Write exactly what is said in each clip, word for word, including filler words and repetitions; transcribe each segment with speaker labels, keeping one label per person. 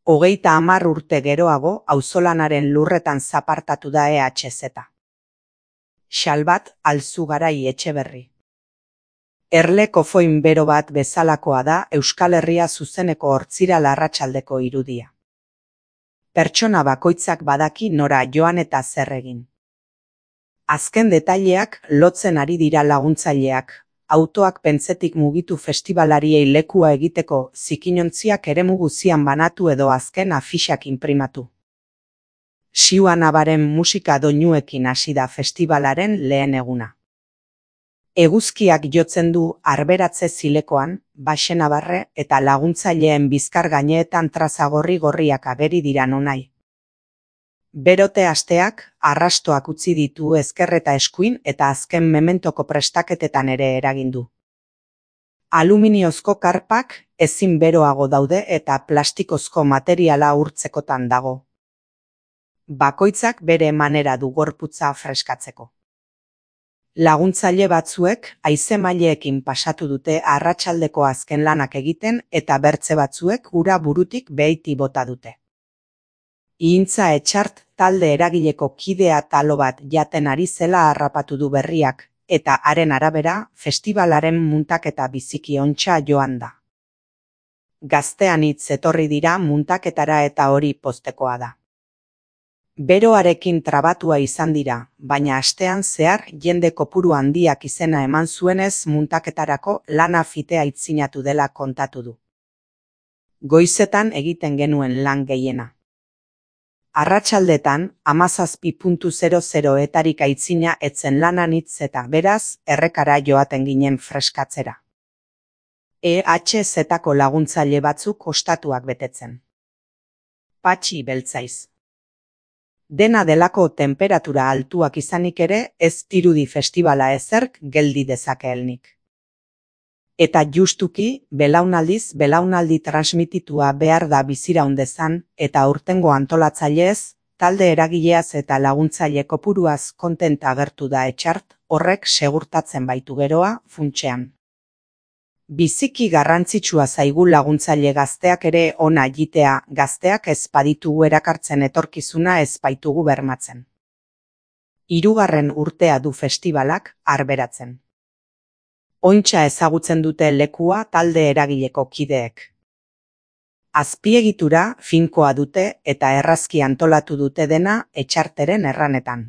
Speaker 1: Hogeita hamar urte geroago auzolanaren lurretan zapartatu da E H Z. Xalbat Alzugarai Etxeberri. Erle kofoin bero bat bezalakoa da Euskal Herria zuzeneko Ortziral arratsaldeko irudia. Pertsona bakoitzak badaki nora joan eta zer egin. Azken detaileak lotzen ari dira laguntzaileak, autoak pentzetik mugitu festibalariei lekua egiteko zikinontziak eremu guzian banatu edo azken afixak inprimatu. Siua Nabaren musika doinuekin hasi da festibalaren lehen eguna. Eguzkiak jotzen du arberatze zilekoan, Baxenabarre eta laguntzaileen bizkar gaineetan traza gorri-gorriak ageri dira nonai. Berote asteak arrastoak utzi ditu ezker eta eskuin eta azken mementoko prestaketetan ere eragin du. Aluminiozko karpak ezin beroago daude eta plastikozko materiala urtzekotan dago. Bakoitzak bere manera du gorputza freskatzeko. Laguntzaile batzuek haizemaileekin pasatu dute arratsaldeko azken lanak egiten eta bertze batzuek ura burutik beheiti bota dute. Ihintza Etxart talde eragileko kidea talo bat jaten ari zela harrapatu du berriak, eta haren arabera festibalaren muntaketa biziki ontsa joan da. Gaztean hitz etorri dira muntaketara eta hori poztekoa da. Beroarekin trabatua izan dira, baina astean zehar jende kopuru handiak izena eman zuenez muntaketarako lana fitea itzinatu dela kontatu du. Goizetan egiten genuen lan gehiena. Arratsaldetan hamazazpi puntu zero zero etarik aitzina etzen lanan hitz eta beraz errekara joaten ginen freskatzera. E H Z-ko laguntzaile batzuk ostatuak betetzen. Patxi beltzaiz. Dena delako temperatura altuak izanik ere ez dirudi festivala ezerk geldi dezakeelnik. Eta justuki, belaunaldiz belaunaldi transmititua behar da biziraun dezan, eta aurtengo antolatzaileez, talde eragileaz eta laguntzaile kopuruaz kontenta agertu da Etxart, horrek segurtatzen baitu geroa, funtsean. Biziki garrantzitsua zaigu laguntzaile gazteak ere ona jitea, gazteak ez baditugu erakartzen etorkizuna ez baitugu bermatzen. Hirugarren urtea du festibalak arberatzen. Ontsa ezagutzen dute lekua talde eragileko kideek. Azpiegitura finkoa dute eta errazki antolatu dute dena Etxarteren erranetan.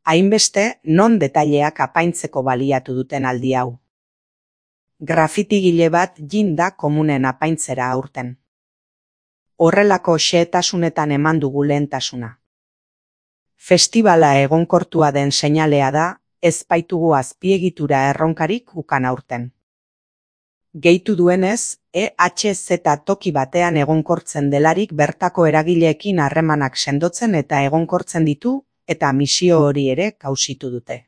Speaker 1: Hainbeste non detaileak apaintzeko baliatu duten aldi hau. Grafitigile bat jin da komunen apaintzera aurten. Horrelako xehetasunetan eman dugu lehentasuna. Festivala egonkortua den seinalea da, ez baitugu azpiegitura erronkarik ukan aurten. Gehitu duenez, E H Z toki batean egonkortzen delarik bertako eragileekin harremanak sendotzen eta egonkortzen ditu, eta misio hori ere kausitu dute.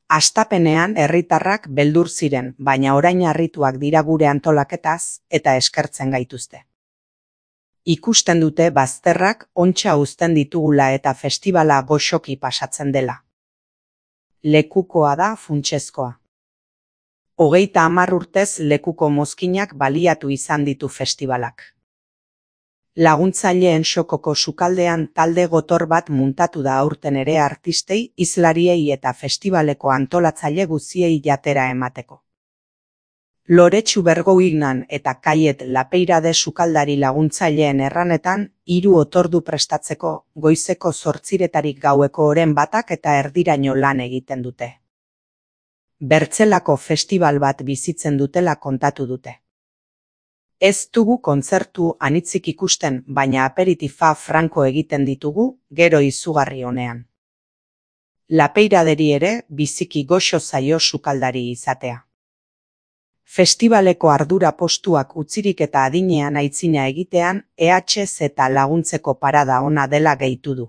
Speaker 1: Astapenean herritarrak beldur ziren, baina orain harrituak dira gure antolaketaz eta eskertzen gaituzte. Ikusten dute bazterrak ontsa uzten ditugula eta festivala goxoki pasatzen dela. Lekukoa da funtsezkoa. Hogeita hamar urtez lekuko mozkinak baliatu izan ditu festibalak. Laguntzaileen xokoko sukaldean talde gotor bat muntatu da aurten ere artistei, hizlariei eta festibaleko antolatzaile guziei jatera emateko. Loretsu Bergoignan eta Kaiet Lapeirade sukaldari laguntzaileen erranetan, hiru otordu prestatzeko, goizeko zortziretarik gaueko oren batak eta erdiraino lan egiten dute. Bertzelako festival bat bizitzen dutela kontatu dute. Ez dugu kontzertu anitzik ikusten, baina aperitifa franko egiten ditugu, gero izugarri honean. Lapeiraderi ere biziki goxo zaio sukaldari izatea. Festibaleko ardura postuak utzirik eta adinean aitzina egitean, E H Z laguntzeko parada ona dela gehitu du.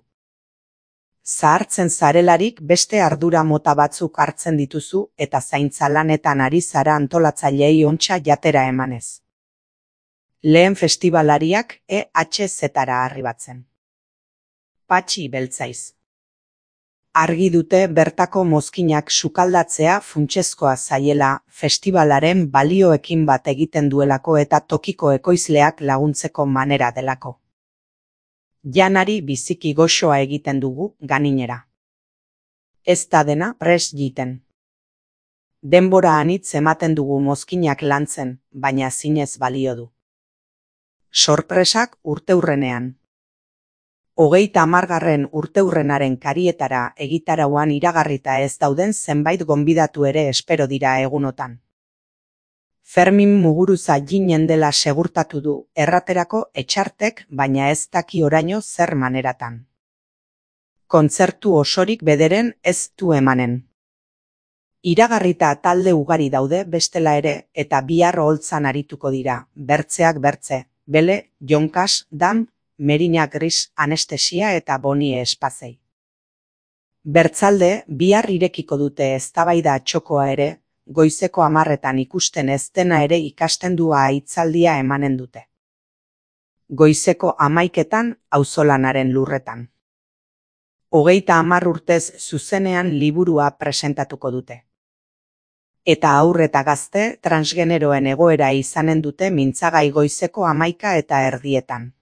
Speaker 1: Zahartzen zarelarik beste ardura mota batzuk hartzen dituzu eta zaintza lanetan ari zara antolatzaileei ontsa jatera emanez. Lehen festivalariak E H Z-ra arribatzen. Patxi beltzaiz. Argi dute bertako mozkinak sukaldatzea funtsezkoa zaiela, festibalaren balioekin bat egiten duelako eta tokiko ekoizleak laguntzeko manera delako. Janari biziki goxoa egiten dugu, ganinera. Ez da dena prest jiten. Denbora anitz ematen dugu mozkinak lantzen, baina zinez balio du. Sorpresak urteurrenean. Hogeita hamargarren urteurrenaren karietara egitarauan iragarrita ez dauden zenbait gonbidatu ere espero dira egunotan. Fermin Muguruza ginen dela segurtatu du erraterako etxartek, baina ez daki oraino zer maneratan. Kontzertu osorik bederen ez du emanen. Iragarrita talde ugari daude bestela ere eta bihar oholtzan arituko dira, bertzeak bertze, Bele, Jonkas, Dam, Merina Gris, Anestesia eta Bonie Espazei. Bertzalde, bihar irekiko dute eztabaida txokoa ere, goizeko hamarretan ikusten ez dena ere ikasten dua hitzaldia emanen dute. Goizeko hamaiketan auzolanaren lurretan. Hogeita hamar urtez zuzenean liburua presentatuko dute. Eta haur eta gazte transgeneroen egoera izanen dute mintzagai goizeko hamaika eta erdietan.